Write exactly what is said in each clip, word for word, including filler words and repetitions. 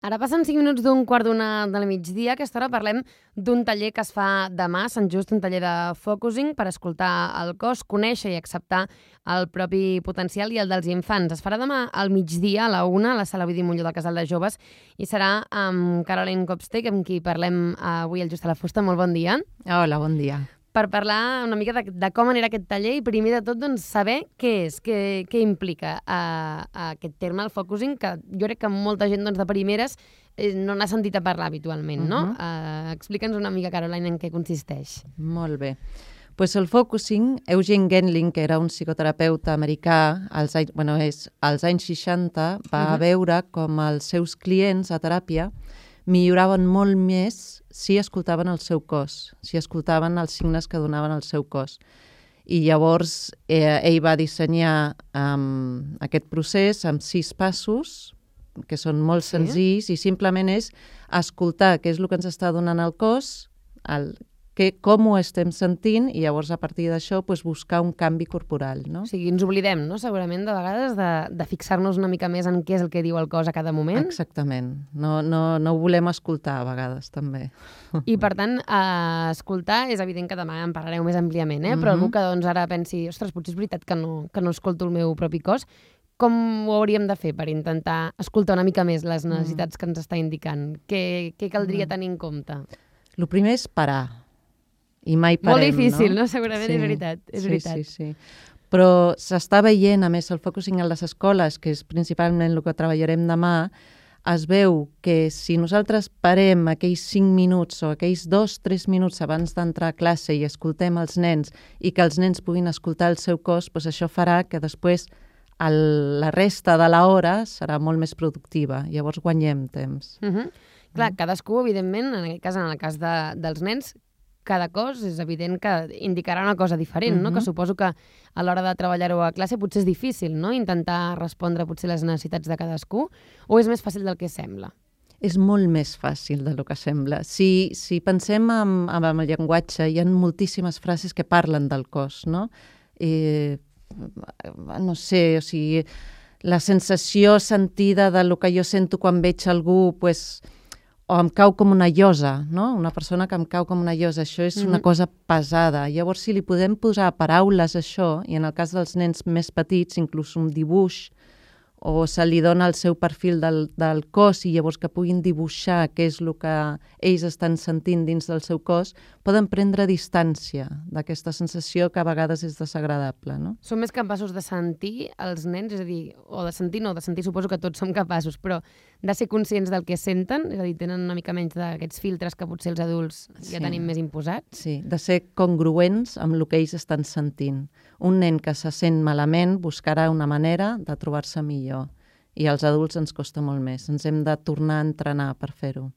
Ara passen cinc minuts d'un quart d'una del migdia. A aquesta hora parlem d'un taller que es fa demà a Sant Just, un taller de focusing per escoltar el cos, conèixer i acceptar el propi potencial i el dels infants. Es farà demà al migdia, a la una, a la Sala Ovidi Montllor del Casal de Joves, i serà amb Caroline Kopstek, amb qui parlem avui al Just a la Fusta. Molt bon dia. Hola, bon dia. Per parlar una mica de, de com anirà aquest taller i primer de tot doncs, saber què és, què, què implica uh, aquest terme, el focusing, que jo crec que molta gent doncs, de primeres eh, no n'ha sentit a parlar habitualment, no? Uh -huh. uh, Explica'ns una mica, Caroline, en què consisteix. Molt bé. Pues el focusing, Eugene Gendling, que era un psicoterapeuta americà, als anys, bueno, és, als anys seixanta, va uh -huh. veure com els seus clients a teràpia milloraven molt més si escoltaven el seu cos, si escoltaven els signes que donaven el seu cos. I llavors eh, ell va dissenyar um, aquest procés amb sis passos, que són molt sí. senzills, i simplement és escoltar què és el que ens està donant el cos, el, que, com ho estem sentint, i llavors a partir d'això pues, buscar un canvi corporal. No? O sigui, ens oblidem, no? Segurament, de vegades, de, de fixar-nos una mica més en què és el que diu el cos a cada moment. Exactament. No, no, no ho volem escoltar a vegades, també. I, per tant, eh, escoltar, és evident que demà en parlareu més àmpliament, eh? Mm-hmm. Però algú que doncs, ara pensi, ostres, potser és veritat que no, que no escolto el meu propi cos, com ho hauríem de fer per intentar escoltar una mica més les necessitats mm. que ens està indicant? Què, què caldria mm. tenir en compte? El primer és parar. I mai parem, molt difícil, no? no? Segurament sí, és veritat. És sí, veritat. sí, sí. Però s'està veient, a més, el focusing a les escoles, que és principalment el que treballarem demà, es veu que si nosaltres parem aquells cinc minuts o aquells dos, tres minuts abans d'entrar a classe i escoltem els nens i que els nens puguin escoltar el seu cos, doncs això farà que després el, la resta de l'hora serà molt més productiva. Llavors guanyem temps. Uh-huh. Clar, cadascú, evidentment, en aquest cas, en el cas de, dels nens, cada cos és evident que indicarà una cosa diferent, uh-huh. no? Que suposo que a l'hora de treballar-ho a classe potser és difícil, no? Intentar respondre potser les necessitats de cadascú, o és més fàcil del que sembla? És molt més fàcil del que sembla. Si, si pensem en, en el llenguatge, hi ha moltíssimes frases que parlen del cos, no? Eh, no sé, o sigui, la sensació sentida de lo que jo sento quan veig algú, pues, o em cau com una llosa, no? Una persona que em cau com una llosa, això és mm-hmm. una cosa pesada. Llavors, si li podem posar paraules a això, i en el cas dels nens més petits, inclús un dibuix, o se li dona el seu perfil del, del cos i llavors que puguin dibuixar què és el que ells estan sentint dins del seu cos, poden prendre distància d'aquesta sensació que a vegades és desagradable, no? Som més capaços de sentir els nens, és a dir, o de sentir no, de sentir suposo que tots som capaços, però de ser conscients del que senten, és a dir, tenen una mica menys d'aquests filtres que potser els adults ja sí. tenim més imposats. Sí, de ser congruents amb el que ells estan sentint. Un nen que se sent malament buscarà una manera de trobar-se millor. I als adults ens costa molt més. Ens hem de tornar a entrenar per fer-ho.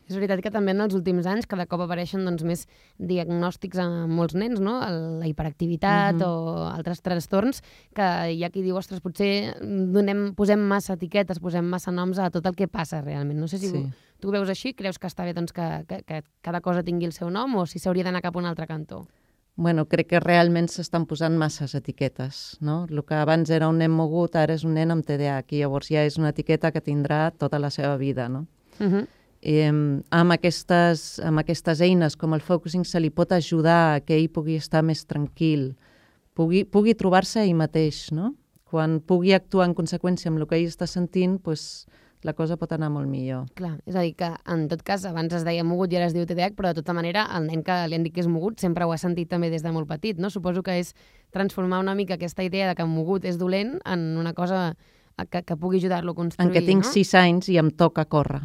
És veritat que també en els últims anys cada cop apareixen doncs, més diagnòstics a molts nens, no? La hiperactivitat uh-huh. o altres trastorns, que hi ha qui diu, ostres, potser donem, posem massa etiquetes, posem massa noms a tot el que passa realment. No sé si sí. tu ho veus així, creus que està bé doncs, que, que, que cada cosa tingui el seu nom o si s'hauria d'anar cap a un altre cantó? Bueno, crec que realment s'estan posant masses etiquetes, no? El que abans era un nen mogut, ara és un nen amb T D A H, i llavors ja és una etiqueta que tindrà tota la seva vida, no? Uh-huh. I, amb, aquestes, amb aquestes eines com el focusing se li pot ajudar a que ell pugui estar més tranquil, pugui, pugui trobar-se ell mateix, no? Quan pugui actuar en conseqüència amb el que ell està sentint, doncs la cosa pot anar molt millor. Clar, és a dir, que en tot cas abans es deia mogut i ara es diu T D A H, però de tota manera el nen que li han dit que és mogut sempre ho ha sentit també des de molt petit, no? Suposo que és transformar una mica aquesta idea de que mogut és dolent en una cosa que, que pugui ajudar-lo a construir, en què tinc no? sis anys i em toca córrer.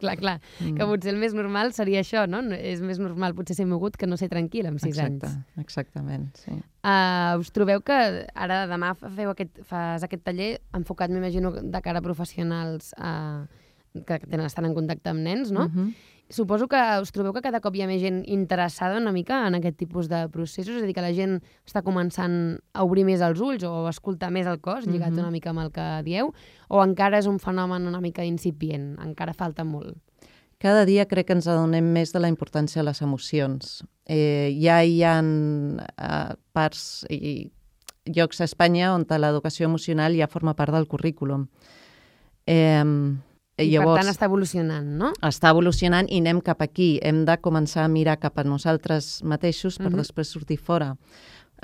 clar, clar, mm. que potser el més normal seria això, no? És més normal potser ser mogut que no ser tranquil amb sis Exacte, anys. Exactament, sí. Uh, us trobeu que ara demà feu aquest, fas aquest taller enfocat, m'imagino, de cara a professionals uh, que tenen, estan en contacte amb nens, no? Uh-huh. Suposo que us trobeu que cada cop hi ha més gent interessada una mica en aquest tipus de processos, és a dir, que la gent està començant a obrir més els ulls o a escoltar més el cos, lligat uh-huh. una mica amb el que dieu, o encara és un fenomen una mica incipient, encara falta molt? Cada dia crec que ens adonem més de la importància de les emocions. Eh, ja hi ha eh, parts i llocs a Espanya on l'educació emocional ja forma part del currículum. Eh, I Llavors, per tant està evolucionant, no? Està evolucionant i anem cap aquí. Hem de començar a mirar cap a nosaltres mateixos per uh-huh. després sortir fora.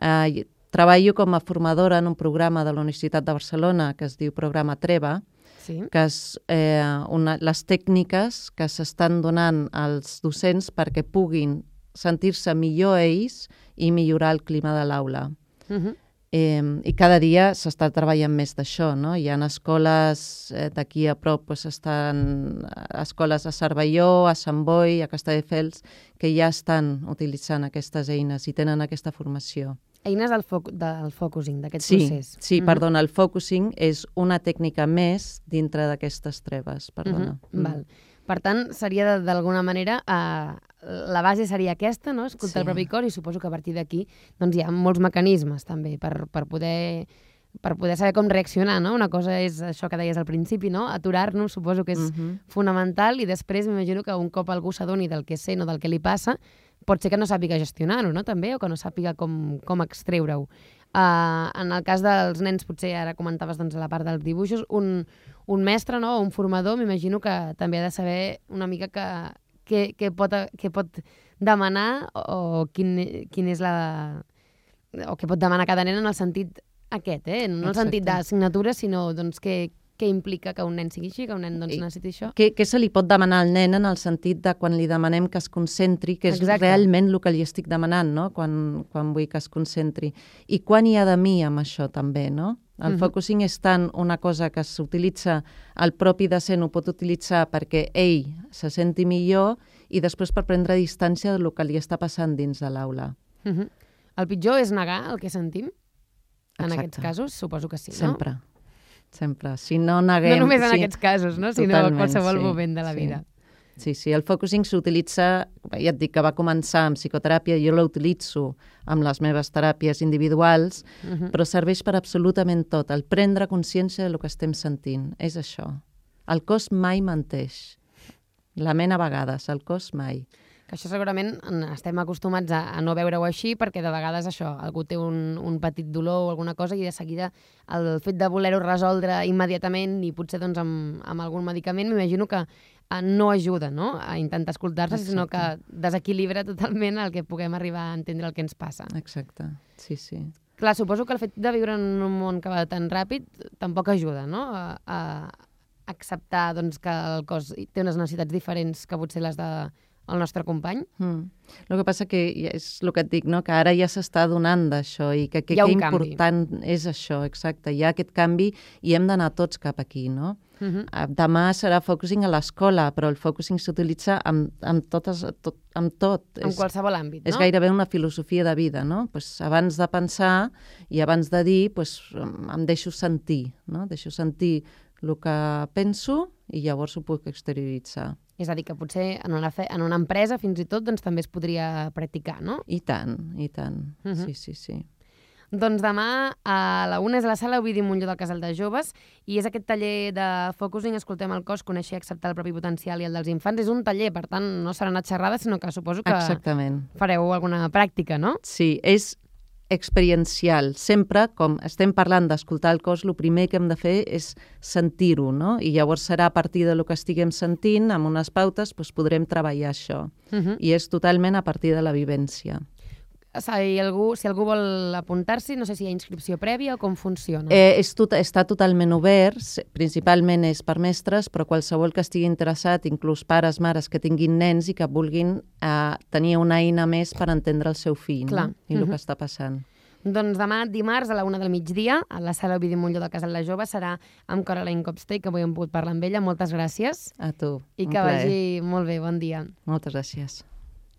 Uh, treballo com a formadora en un programa de la Universitat de Barcelona que es diu Programa Treva, sí. que és eh, una, les tècniques que s'estan donant als docents perquè puguin sentir-se millor ells i millorar el clima de l'aula. Uh-huh. Eh, I cada dia s'està treballant més d'això, no? Hi ha escoles eh, d'aquí a prop, doncs estan escoles a Cervelló, a Sant Boi, a Castelldefels, que ja estan utilitzant aquestes eines i tenen aquesta formació. Eines del, foc, del focusing, d'aquest sí, procés. Sí, mm-hmm. perdona, el focusing és una tècnica més dintre d'aquestes treves, perdona. Mm-hmm. Mm. Val. Per tant, seria d'alguna manera, eh, la base seria aquesta, no? Escoltar sí. el propi cos, i suposo que a partir d'aquí doncs, hi ha molts mecanismes també per, per, poder, per poder saber com reaccionar, no? Una cosa és això que deies al principi, no? Aturar-nos, suposo que és mm-hmm. fonamental, i després m'imagino que un cop algú s'adoni del que sent o del que li passa, pot ser que no sàpiga gestionar-ho, no? També, o que no sàpiga com, com extreure-ho. Uh, en el cas dels nens, potser ara comentaves doncs, la part dels dibuixos, un, un mestre, no? O un formador, m'imagino que també ha de saber una mica que, que, que, pot, que pot demanar o, o quin, quin és la... o què pot demanar cada nen en el sentit aquest, eh? No en el sentit d'assignatura, sinó doncs, que, què implica que un nen sigui així, que un nen doncs, necessiti això. Què, què se li pot demanar al nen en el sentit de quan li demanem que es concentri, que és Exacte. realment el que li estic demanant, no? Quan, quan vull que es concentri. I quan hi ha de mi amb això també, no? El uh-huh. focusing és tant una cosa que s'utilitza, el propi docent ho pot utilitzar perquè ell se senti millor i després per prendre distància del que li està passant dins de l'aula. Uh-huh. El pitjor és negar el que sentim? En Exacte. Aquests casos, suposo que sí, no? Sempre. Sempre. Si no neguem... No només en sí, aquests casos, no? Sinó en qualsevol sí, moment de la vida. Sí. sí, sí. El focusing s'utilitza, ja et dic que va començar amb psicoteràpia, jo l'utilitzo amb les meves teràpies individuals, uh-huh. però serveix per absolutament tot. El prendre consciència del que estem sentint. És això. El cos mai menteix. La ment a vegades, el cos mai. Que això segurament estem acostumats a, a no veure-ho així perquè de vegades això, algú té un, un petit dolor o alguna cosa i de seguida el fet de voler-ho resoldre immediatament i potser doncs, amb, amb algun medicament m'imagino que eh, no ajuda, no? A intentar escoltar-se, Exacte. Sinó que desequilibra totalment el que puguem arribar a entendre el que ens passa. Exacte, sí, sí. Clar, suposo que el fet de viure en un món que va tan ràpid tampoc ajuda, no? A, a acceptar doncs, que el cos té unes necessitats diferents que potser les de el nostre company. Mm. El que passa que és el que et dic, no? Que ara ja s'està donant d'això i que, que, que important canvi. És això, exacte. Hi ha aquest canvi i hem d'anar tots cap aquí, no? Uh-huh. Demà serà focusing a l'escola, però el focusing s'utilitza amb, amb, totes, tot, amb tot. En és, qualsevol àmbit, no? És gairebé una filosofia de vida, no? Pues abans de pensar i abans de dir, pues, em deixo sentir, no? Deixo sentir el que penso i llavors ho puc exterioritzar. És a dir, que potser en una, fe, en una empresa fins i tot doncs, també es podria practicar, no? I tant, i tant. Uh-huh. Sí, sí, sí. Doncs demà a la una és a la sala Ovidi Montllor del Casal de Joves i és aquest taller de focusing, escoltem el cos, conèixer i acceptar el propi potencial i el dels infants. És un taller, per tant, no serà una xerrada, sinó que suposo que Exactament. Fareu alguna pràctica, no? Sí, és experiencial. Sempre, com estem parlant d'escoltar el cos, el primer que hem de fer és sentir-ho, no? I llavors serà a partir del que estiguem sentint, amb unes pautes, doncs podrem treballar això. Uh-huh. I és totalment a partir de la vivència. Si algú, si algú vol apuntar-s'hi, no sé si hi ha inscripció prèvia o com funciona. Eh, és tot, està totalment obert, principalment és per mestres, però qualsevol que estigui interessat, inclús pares, mares que tinguin nens i que vulguin eh, tenir una eina més per entendre el seu fill, no? I el uh-huh. que està passant. Doncs demà, dimarts, a la una del migdia, a la sala Ovidi Montllor del Casal de Joves, serà amb Caroline Copstey, que avui hem pogut parlar amb ella. Moltes gràcies. A tu, I que vagi molt bé, bon dia. Moltes gràcies.